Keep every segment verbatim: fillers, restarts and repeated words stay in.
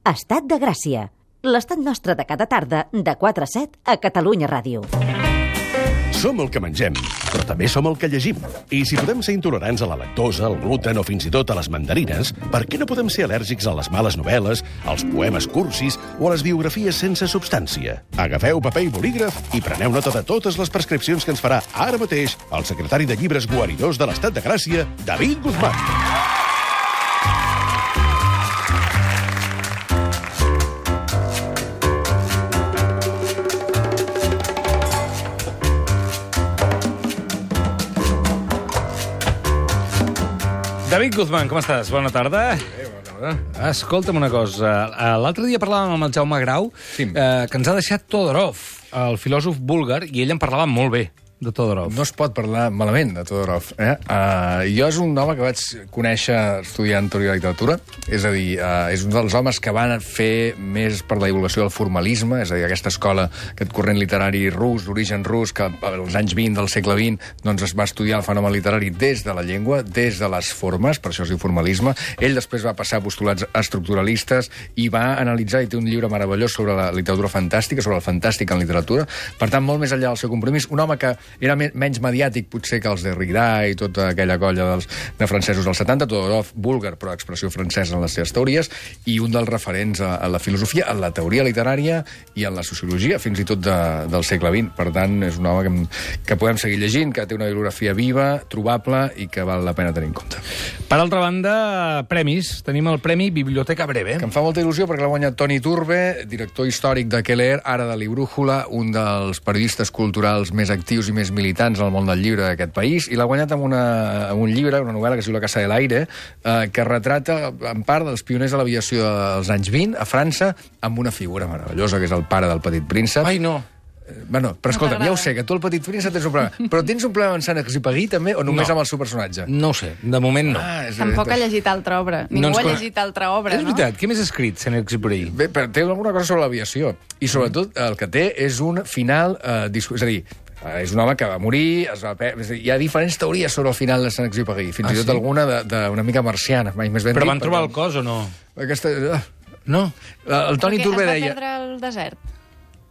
Estat de Gràcia, l'estat nostre de cada tarda de quatre a set a Catalunya Ràdio. Som el que mengem, però també som el que llegim. I si podem ser intolerants a la lactosa, al gluten o fins i tot a les mandarines, per què no podem ser al·lèrgics a les males novel·les, als poemes cursis o a les biografies sense substància? Agafeu paper i bolígraf i preneu nota de totes les prescripcions que ens farà ara mateix el secretari de Llibres Guaridors de l'Estat de Gràcia, David Guzmán. David Guzmán, com estàs? Bona tarda. Bé, bona tarda. Escolta'm una cosa. L'altre dia parlàvem amb el Jaume Grau, Sí. eh, que ens ha deixat Todorov, el filòsof búlgar, i ell en parlava molt bé, de Todorov. No es pot parlar malament de Todorov. Eh? Uh, jo és un home que vaig conèixer estudiant teoria de la literatura, és a dir, uh, és un dels homes que van fer més per la divulgació del formalisme, és a dir, aquesta escola, aquest corrent literari rus, d'origen rus, que als anys vint del segle vint doncs es va estudiar el fenomen literari des de la llengua, des de les formes, per això es diu formalisme. Ell després va passar a postulats estructuralistes i va analitzar, i té un llibre meravellós sobre la literatura fantàstica, sobre el fantàstic en literatura. Per tant, molt més enllà del seu compromís, un home que era menys mediàtic, potser, que els de Derrida i tota aquella colla dels, de francesos dels setanta, Todorov, búlgar, però expressió francesa en les seves teories, i un dels referents a, a la filosofia, a la teoria literària i a la sociologia, fins i tot de, del segle vint. Per tant, és un home que, que podem seguir llegint, que té una bibliografia viva, trobable, i que val la pena tenir en compte. Per altra banda, premis. Tenim el Premi Biblioteca Breve. Que em fa molta il·lusió perquè l'ha guanyat Toni Turbe, director històric de Què leer, ara de Librújula, un dels periodistes culturals més actius i més militants al món del llibre d'aquest país, i l'ha guanyat amb, una, amb un llibre, una novel·la que es diu La Casa de l'Aire, eh, que retrata en part dels pioners de l'aviació dels anys vint a França, amb una figura meravellosa, que és el pare del Petit Príncep. Ai, no. Bueno, però escolta'm, ja ho sé, que tu el Petit Príncep tens un problema. Però tens un problema amb Sant-Exupéry també, o només No. amb el seu personatge? No ho sé, de moment no. Ah, és, Tampoc ha llegit altra obra. Ningú No ens ha cone- llegit altra obra, És no? veritat, què més ha escrit Saint-Exupéry? Bé, però té alguna cosa sobre l'aviació. I sobretot el que té és un final... Eh, discu- és a dir, eh, és un home que va morir, es va per... és a dir, hi ha diferents teories sobre el final de Saint-Exupéry, fins Ah, i tot sí? alguna de, de una mica marciana, mai més ben Però dit, van trobar perquè- el cos o no? Aquesta... eh, No. El Toni Perquè Turbe es va deia... perdre al desert.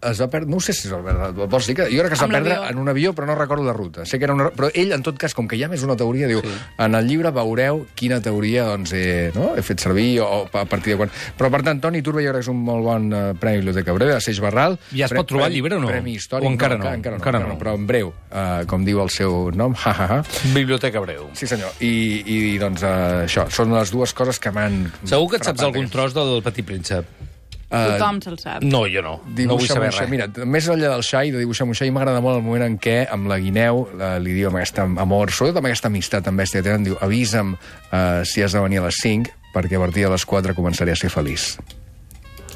Es va perdre, no sé si es va perdre, vols dir que jo crec que es va Amb perdre l'avió. en un avió, però no recordo la ruta. Sé que era una, però ell, en tot cas, com que hi ha més una teoria, diu, sí. En el llibre veureu quina teoria doncs, he, no? he fet servir o, o a partir de quan... Però, per tant, Toni Turbe jo crec que és un molt bon uh, Premi Biblioteca Breve, de Seix Barral. Ja es pot trobar el llibre o no? Premi històric. O encara no? Encara, encara, no, Encara encara no. no, però en breu, uh, com diu el seu nom, ha, ha, ha. Biblioteca Breu. Sí, senyor. I, i doncs, uh, això, són les dues coses que m'han... Segur que et saps frapat, algun tros del Petit Príncep. Uh, Tothom se'l sap. No, jo no. No vull Dibuixa'm saber un xai. res. Mira, més enllà del xai, de dibuixar un xai, m'agrada molt el moment en què, amb la guineu, la, li diu amb aquest amor, sobretot amb aquesta amistat tan bèstia que tenen, diu, avisa'm uh, si has de venir a les cinc, perquè a partir de les quatre començaré a ser feliç.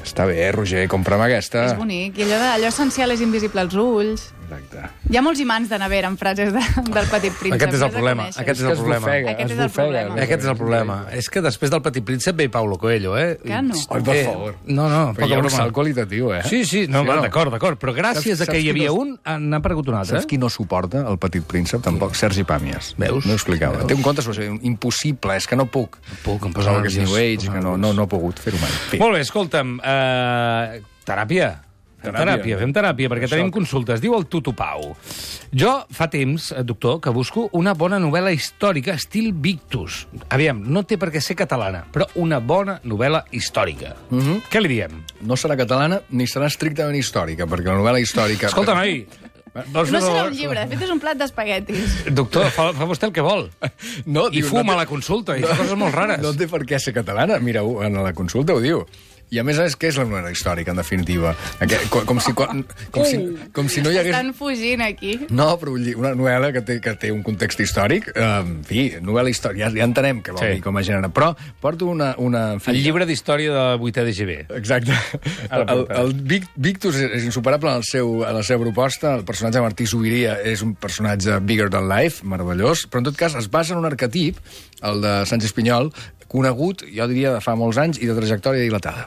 Està bé, eh, Roger, compra'm aquesta. És bonic. I allò, de, allò essencial és invisible als ulls. Exacte. Hi ha molts imants de nevera en frases de, del Petit Príncep. Aquest és el has de problema. conèixer. Aquest és que el es problema. bofega, Aquest es és el bofega. problema. Aquest és el problema. És que després del Petit Príncep ve Paulo Coelho, eh? Que no? Ai, per Eh, favor. No, no, Però hi poca ha un broma. salt qualitatiu, eh? Sí, sí, no, Sí o no? d'acord, d'acord. Però gràcies Saps- a que saps hi havia qui no- un, n'ha aparegut un altre. Saps qui no suporta el Petit Príncep? Tampoc, Sergi Pàmies. Veus? No ho explicava. Veus? Té un conte sobre això, impossible, és que no puc. No puc, em Posava posava aquest nerviós. New Age, que no, no, no he pogut fer-ho mai. En fi. Molt bé, escolta'm, uh, teràpia. Fem Teràpia. teràpia, fem teràpia, perquè Això. tenim consultes. Diu el Tutu Pau. Jo fa temps, eh, doctor, que busco una bona novel·la històrica estil Victus. Aviam, no té per què ser catalana, però una bona novel·la històrica. Mhm. Què li diem? No serà catalana ni serà estrictament històrica, perquè la novel·la històrica... Escolta, noi, vols No fer serà favor? un llibre, de fet és un plat d'espaguetis. Doctor, fa, fa vostè el que vol. No, I diu, fuma no a la consulta, i fa coses molt rares. No té per què ser catalana. Mira, en la consulta ho diu. I a més a més, què és la novel·la històrica, en definitiva? Aquest, com, com, si, com, com, si, com si no hi hagués... Estan fugint aquí. No, però vull dir, una novel·la que té, que té un context històric, eh, en fi, novel·la històrica, ja, ja entenem què vol Sí. dir com a gènere, però porto una... una en fi, El llibre d'història de vuitè de G B. Exacte. El, el, el Vic- Victus és insuperable en, el seu, en la seva proposta. El personatge de Martí Zubiria és un personatge bigger than life, meravellós, però en tot cas es basa en un arquetip, el de Sánchez Pinyol, conegut, jo diria, de fa molts anys i de trajectòria dilatada.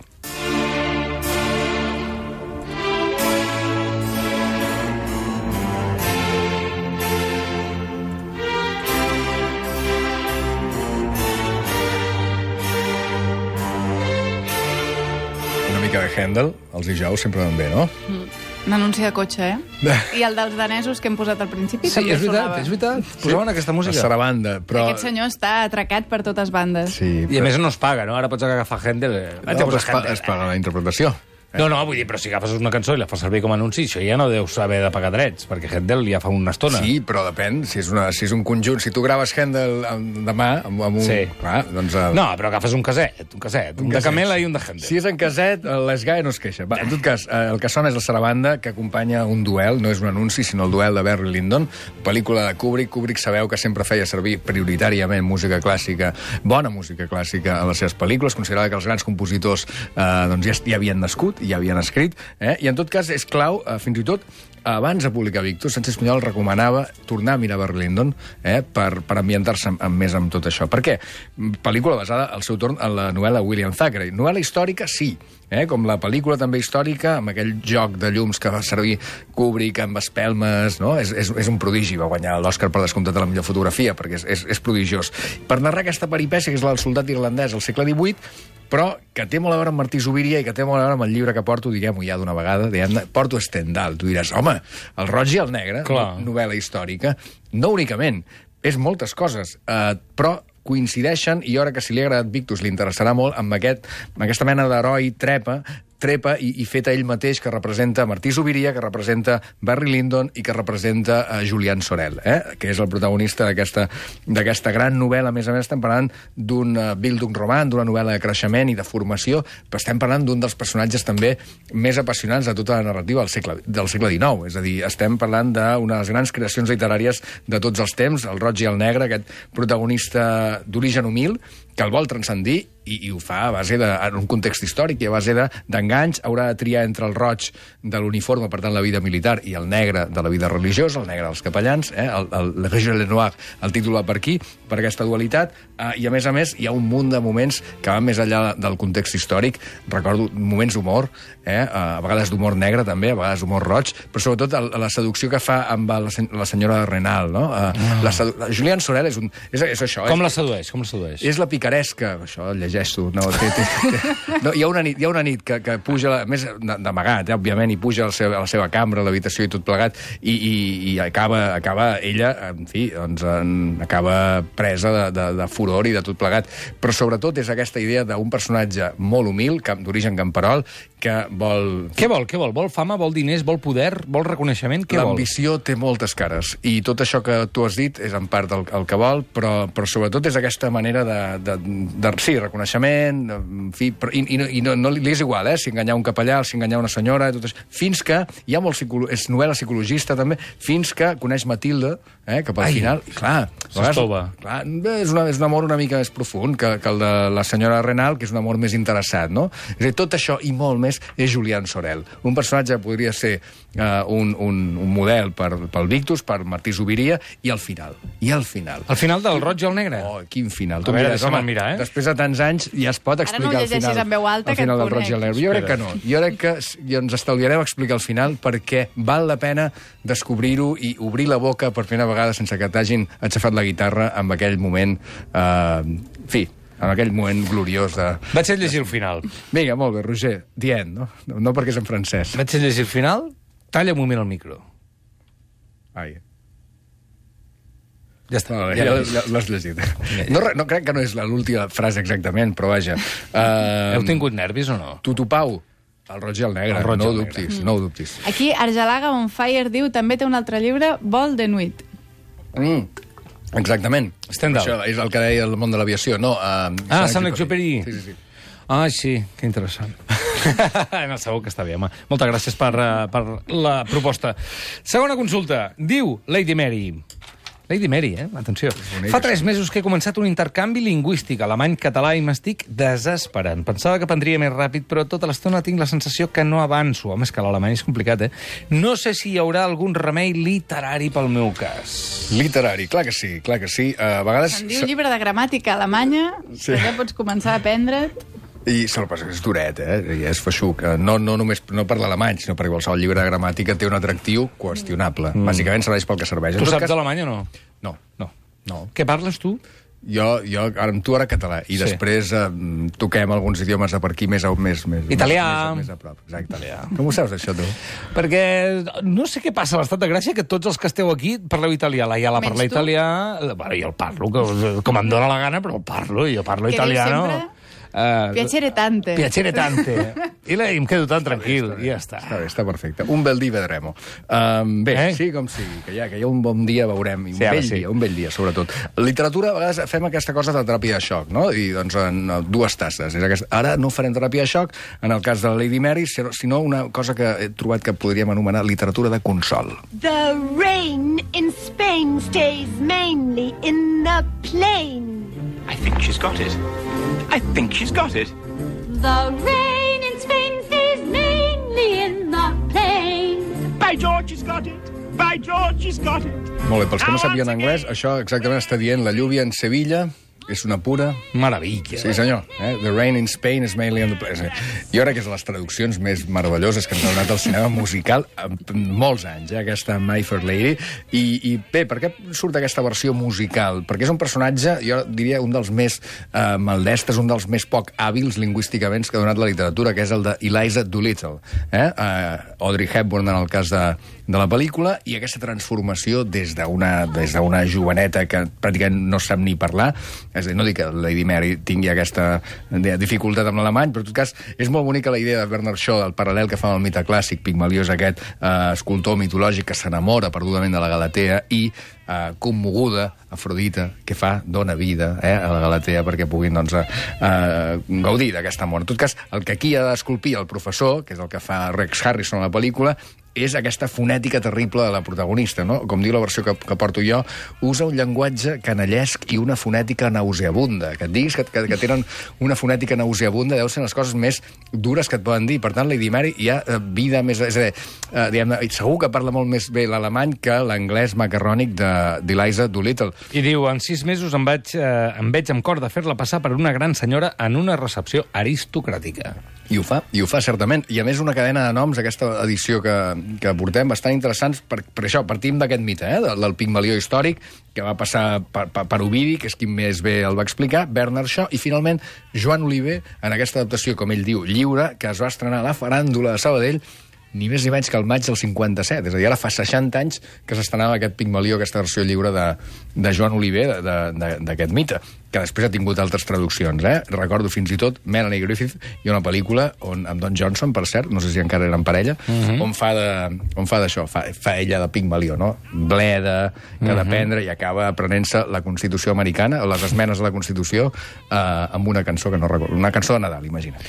mica de Handel, els dijous sempre van bé, no? Un anunci de cotxe, eh? I el dels danesos que hem posat al principi Sí, també és veritat, sonava. és veritat. Posaven aquesta música. La sarabanda, però... Aquest senyor està atracat per totes bandes. Sí, I a més no es paga, no? Ara pots agafar Händel... Eh? no, però es, pa, es paga la interpretació. No, no, vull dir, però si agafes una cançó i la fas servir com a anunci, això ja no deus haver de pagar drets, perquè Händel ja fa una estona. Sí, però depèn, si és, una, si és un conjunt, si tu graves Handel demà amb, amb un... Sí. Clar, doncs... El... No, però agafes un caset, un caset, un, un de caset. Camela i un de Händel. Si és en caset, l'Esgae no es queixa. Va, en tot cas, eh, el que sona és la sarabanda, que acompanya un duel, no és un anunci, sinó el duel de Barry Lyndon, pel·lícula de Kubrick. Kubrick sabeu que sempre feia servir prioritàriament música clàssica, bona música clàssica a les seves pel·lícules, considerava que els grans compositors eh, doncs ja, ja havien nascut, ja havien escrit, eh? I en tot cas és clau, eh, fins i tot, abans de publicar Victus, Sánchez Pinyol recomanava tornar a mirar Barry Lyndon eh, per, per ambientar-se amb, amb més amb tot això. Per què? Pel·lícula basada, al seu torn, en la novel·la William Thackeray. Novel·la històrica, sí, eh, com la pel·lícula també històrica, amb aquell joc de llums que va servir Kubrick amb espelmes, no? És, és, és un prodigi, va guanyar l'Oscar per descomptat de la millor fotografia, perquè és, és, és prodigiós. Per narrar aquesta peripècia, que és la del soldat irlandès al segle divuit, però que té molt a veure amb Martí Zubiri i que té molt a veure amb el llibre que porto, diguem-ho ja d'una vegada, diguem porto Stendhal. Tu diràs, home, el roig i el negre, Clar. novel·la històrica, no únicament, és moltes coses, eh, però coincideixen, i jo crec que si li ha agradat Victus li interessarà molt, amb, aquest, amb aquesta mena d'heroi trepa, trepa i, i feta ell mateix, que representa Martí Zubiria, que representa Barry Lyndon i que representa uh, Julian Sorel, eh? Que és el protagonista d'aquesta gran novel·la. A més a més, estem parlant d'un uh, Bildungsroman, d'una novel·la de creixement i de formació, però estem parlant d'un dels personatges també més apassionants de tota la narrativa del segle, del segle dinou. És a dir, estem parlant d'una de les grans creacions literàries de tots els temps, el roig i el negre, aquest protagonista d'origen humil, que el vol transcendir i, i ho fa a base de, en un context històric i a base d'enganys. De, haurà de triar entre el roig de l'uniforme, per tant, la vida militar, i el negre de la vida religiosa, el negre dels capellans, eh? el, el, Le Rouge et le Noir, el títol va per aquí, per aquesta dualitat, eh, i a més a més hi ha un munt de moments que van més enllà del context històric. Recordo moments d'humor, eh? a vegades d'humor negre també, a vegades d'humor roig, però sobretot el, la seducció que fa amb la, la senyora Renal, no? Eh, no. La, la Julian Sorel és, un, és, és això. Com és, la sedueix? Com la sedueix? És la picaresca, això el llegeixo. No, té, té, té. No, hi ha una nit, hi ha una nit que, que puja, a més d'amagat, eh, òbviament, i puja a la seva, a la seva cambra, a l'habitació i tot plegat, i, i, i acaba, acaba ella, en fi, doncs, en, acaba presa de, de, de furor i de tot plegat. Però sobretot és aquesta idea d'un personatge molt humil, d'origen camperol, que vol... Què vol? Què vol? Vol fama, vol diners, vol poder, vol reconeixement? Què vol? L'ambició té moltes cares, i tot això que tu has dit és en part el, el que vol, però, però sobretot és aquesta manera de, de, de sí, reconeixement, en fi, però, i, i, no, i no, no li és igual, eh, si enganyar un capellà, si enganyar una senyora, tot això, fins que hi ha molt psicolo... és novel·la psicologista també, fins que coneix Matilde, eh, cap al Ai, final, i clar, s'estova. clar, és, una, és un amor una mica més profund que, que el de la senyora Renal, que és un amor més interessat, no? És a dir, tot això i molt més és Julian Sorel, un personatge que podria ser uh, un, un, un model per, pel Victus, per Martí Zubiria, i al final, i al final. Al final del roig i el negre? Oh, quin final. A veure, deixa'm mirar, eh? Després de tants anys ja es pot explicar no el final. llegeixis en veu alta, el que final et del Roig i el Negre. Jo crec que no. Jo crec que i ens estalviarem explicar el final perquè val la pena descobrir-ho i obrir la boca per primera vegada sense que t'hagin aixafat la guitarra en aquell moment, eh, en fi, en aquell moment gloriós de... Vaig a llegir el final. Vinga, molt bé, Roger, dient, no? No perquè és en francès. Vaig a llegir el final, talla un moment el micro. Ai. Ja està. No, ja ja l'he vist. l'has llegit. No, no crec que no és l'última frase exactament, però vaja. Uh, Heu tingut nervis o no? Tutupau, el roig i el negre, El roig i no ho el negre. dubtis, no ho dubtis. Aquí, Argelaga on Fire diu, també té un altre llibre, Vol de Nuit. Mm, exactament. Stendhal. Això és el que deia el món de l'aviació. No, uh, Ah, Saint-Exupéry. Sí, sí, sí. Ah, sí, que interessant. No, segur que està bé, home. Moltes gràcies per, uh, per la proposta. Segona consulta. Diu Lady Mary... Lady Mary, eh? Atenció. Fa tres mesos que he començat un intercanvi lingüístic alemany-català i m'estic desesperant. Pensava que prendria més ràpid, però tota l'estona tinc la sensació que no avanço. Home, és que l'alemany és complicat, eh? No sé si hi haurà algun remei literari pel meu cas. Literari, clar que sí, clar que sí. Uh, a vegades... Se'n diu llibre de gramàtica alemanya, Sí. que ja pots començar a aprendre't. I se'l passa, és duret, eh? I és feixuc. No, no només no per l'alemany, sinó perquè qualsevol llibre de gramàtica té un atractiu qüestionable. Mm. Bàsicament serveix pel que serveix. En Tu tot saps cas- alemany o no? No, No. no. Què parles, tu? Jo, jo ara, amb tu ara català, i Sí. després eh, toquem alguns idiomes de per aquí més, a- més, més, Italià. més, més a prop. Exacte. Italià. Com ho saps, això, tu? Perquè no sé què passa a l'Estat de Gràcia, que tots els que esteu aquí parleu italià. La Iala Menys parla tu. italià... Bueno, jo el parlo, que, com em dóna la gana, però el parlo, jo parlo Què dius italiano. sempre? Uh, Piacere tante. Piacere tante. I, la, I em quedo tan tranquil, i ja està. Està bé, està perfecte. Un bel dia vedrem-ho. Um, bé, Eh? eh? sí, com sigui, que ja, que ja un bon dia veurem. I un Sí, ara bell sí. dia, un bell dia, sobretot. Literatura, a vegades fem aquesta cosa de teràpia de xoc, no? I, doncs, en eh, dues tasses. És aquesta. Ara no farem teràpia de xoc, en el cas de la Lady Mary, sinó una cosa que he trobat que podríem anomenar literatura de consol. The rain in Spain stays mainly in the plain. I think she's got it. I think she's got it. The rain in Spain stays mainly in the plain. By George, she's got it. By George, she's got it. Molt bé, pels que no sàpiguen anglès, això exactament està dient la lluvia en Sevilla, és una pura... Meravella. Sí, senyor. Eh? The rain in Spain is mainly on the place. Jo crec que és de les traduccions més meravelloses que ens ha donat el cinema musical en molts anys, eh? Aquesta My Fair Lady. I, I bé, per què surt aquesta versió musical? Perquè és un personatge, jo diria, un dels més eh, maldestres, un dels més poc hàbils lingüísticament que ha donat la literatura, que és el de Eliza Doolittle. Eh? Uh, Audrey Hepburn en el cas de, de la pel·lícula, i aquesta transformació des d'una des d'una joveneta que pràcticament no sap ni parlar. És a dir, no dic que Lady Mary tingui aquesta dificultat amb l'alemany, però en tot cas és molt bonica la idea de Bernard Shaw, el paral·lel que fa amb el mite clàssic. Pigmalió és aquest eh, escultor mitològic que s'enamora perdudament de la Galatea i eh, commoguda, Afrodita, que fa, dona vida eh, a la Galatea perquè puguin doncs, eh, eh, gaudir d'aquest amor. En tot cas, el que aquí ha d'esculpir el professor, que és el que fa Rex Harrison a la pel·lícula, és aquesta fonètica terrible de la protagonista, no? Com diu la versió que, que porto jo, usa un llenguatge canallesc i una fonètica nauseabunda. Que et diguis que, que, que tenen una fonètica nauseabunda deu ser les coses més dures que et poden dir. Per tant, Lady Mary hi ha eh, vida més... És a dir, eh, diguem, segur que parla molt més bé l'alemany que l'anglès macarrònic d'Eliza Doolittle. I diu, en sis mesos em vaig, eh, em veig amb cor de fer-la passar per una gran senyora en una recepció aristocràtica. I ho fa, i ho fa certament. I a més una cadena de noms, aquesta edició que, que portem, bastant interessants, per, per això, partim d'aquest mite, eh, del, del Pigmalió històric, que va passar per, per, per Ovidi, que és qui més bé el va explicar, Bernard Shaw, i finalment Joan Oliver, en aquesta adaptació, com ell diu, lliure, que es va estrenar a la Faràndula de Sabadell, ni més ni menys que el maig del cinquanta-set. És a dir, ara fa seixanta anys que s'estrenava aquest Pigmalió, aquesta versió lliure de, de Joan Oliver, d'aquest mite, que després ha tingut altres traduccions. Eh? Recordo fins i tot Melanie Griffith i una pel·lícula on, amb Don Johnson, per cert, no sé si encara eren parella, uh-huh. on fa de- on fa d'això, fa, fa ella de Pigmalió, no? Bleda, que ha d'aprendre i acaba aprenent-se la Constitució americana, o les esmenes a la Constitució, eh, amb una cançó que no recordo, una cançó de Nadal, imagina't.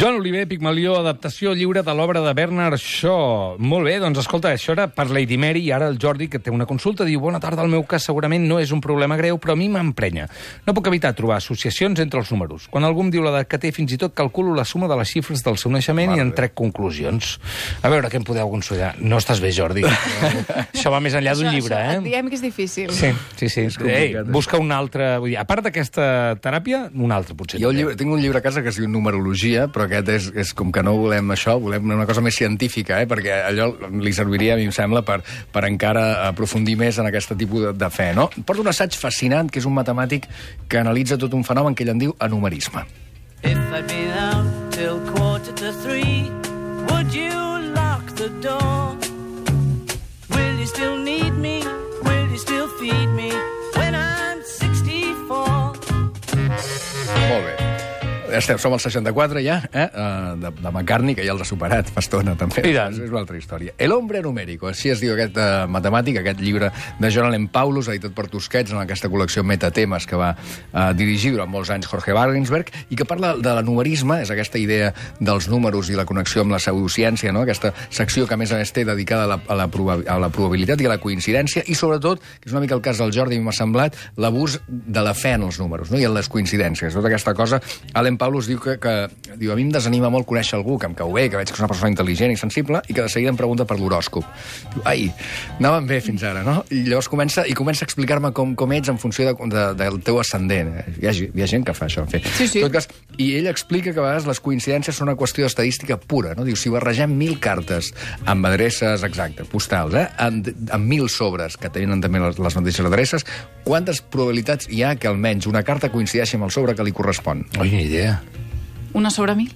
Joan Oliver, Pigmalió, adaptació lliure de l'obra de Bernard Shaw. Molt bé, doncs escolta, això era per Lady Mary, i ara el Jordi, que té una consulta, diu, bona tarda, el meu cas segurament no és un problema greu, però a mi m'emprenya. No puc evitar trobar associacions entre els números. Quan algú em diu l'edat que té, fins i tot calculo la suma de les xifres del seu naixement i en trec conclusions. A veure, què em podeu consolidar? No estàs bé, Jordi. Això va més enllà d'un Això- llibre, això, eh? Diguem que és difícil. Sí, sí, sí. Ei, complicat, busca un altre... Vull dir, a part d'aquesta teràpia, un altre, potser. Jo també. llibre, tinc un llibre a casa que es diu Numerologia, però aquest és, és com que no volem això, volem una cosa més científica, eh? Perquè allò li serviria, a mi em sembla, per, per encara aprofundir més en aquest tipus de, de fe. No? Porta un assaig fascinant, que és un matemàtic que analitza tot un fenomen que ell en diu anumerisme. If I'd been out till quarter to three, would you lock the door? Will you still need me? Will you still feed me when I'm sixty-four? Molt bé. Estem, som al seixanta-quatre ja, eh? Uh, de, de McCartney, que ja els ha superat fa estona, també. I tant. És una altra història. El hombre numérico, així es diu aquest uh, matemàtic, aquest llibre de John Allen Paulus, editat per Tusquets, en aquesta col·lecció Metatemes que va uh, dirigir durant molts anys Jorge Wagensberg, i que parla de l'anumerisme, és aquesta idea dels números i la connexió amb la pseudociència, no? Aquesta secció que, a més a més, té dedicada a la, a la, proba a la probabilitat i a la coincidència, i sobretot, que és una mica el cas del Jordi, m'ha semblat, l'abús de la fe en els números, no? I en les coincidències. Tota aquesta cosa, Allen Allen Paulus diu que, que diu, a mi em desanima molt conèixer algú que em cau bé, que veig que és una persona intel·ligent i sensible, i que de seguida em pregunta per l'horòscop. Diu, ai, anàvem bé fins ara, no? I llavors comença, i comença a explicar-me com, com ets en funció de, de, del teu ascendent. Hi ha, hi ha gent que fa això, en fi. Sí, sí. En tot cas, i ell explica que a vegades les coincidències són una qüestió d'estadística pura, no? Diu, si barregem mil cartes amb adreces exactes, postals, eh? amb, amb mil sobres que tenen també les, les mateixes adreces, quantes probabilitats hi ha que almenys una carta coincideixi amb el sobre que li correspon? Oi, ni idea. Una sobre mil?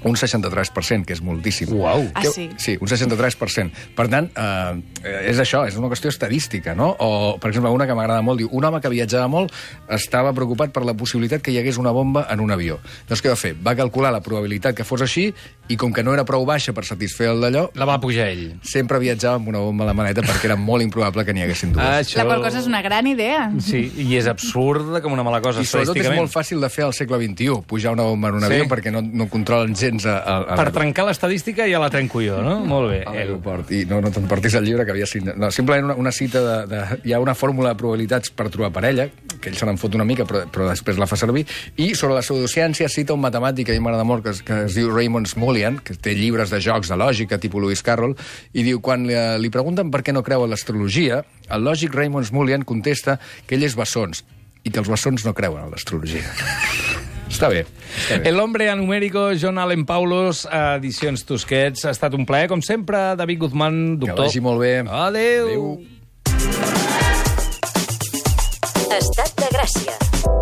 Un seixanta-tres per cent, que és moltíssim. Uau. Ah, Que- sí? Sí, un seixanta-tres per cent. Per tant, eh, és això, és una qüestió estadística, no? O, per exemple, una que m'agrada molt, diu, un home que viatjava molt estava preocupat per la possibilitat que hi hagués una bomba en un avió. Doncs què va fer? Va calcular la probabilitat que fos així i com que no era prou baixa per satisfer el d'allò, La va pujar ell. sempre viatjava amb una bomba a la maleta perquè era molt improbable que n'hi haguessin dues. Això... La qual cosa és una gran idea. Sí, i és absurda com una mala cosa, I sobretot és estadísticament. molt fàcil de fer al segle vint-i-u, pujar una bomba en un Sí. avió perquè no, no controlen gens a, a, a Per trencar l'estadística ja la trenco jo, no? Molt bé. a l'aeroport. I no, no t'emportis el llibre que havia signat. No, simplement una, una cita de, de... Hi ha una fórmula de probabilitats per trobar parella, que ell se n'en fot una mica, però, però després la fa servir, i sobre la pseudociència cita un matemàtic que a mi m'agrada molt, que, es- que es diu Raymond Smullyan, que té llibres de jocs de lògica, tipus Lewis Carroll, i diu, quan li, li pregunten per què no creu en l'astrologia, el lògic Raymond Smullyan contesta que ell és bessons, i que els bessons no creuen en l'astrologia. Està bé. Està bé. El hombre anumérico, John Allen Paulos, edicions Tusquets. Ha estat un plaer, com sempre. David Guzmán, Que doctor. vagi molt bé. Adéu. Adéu. Estat de Gràcia.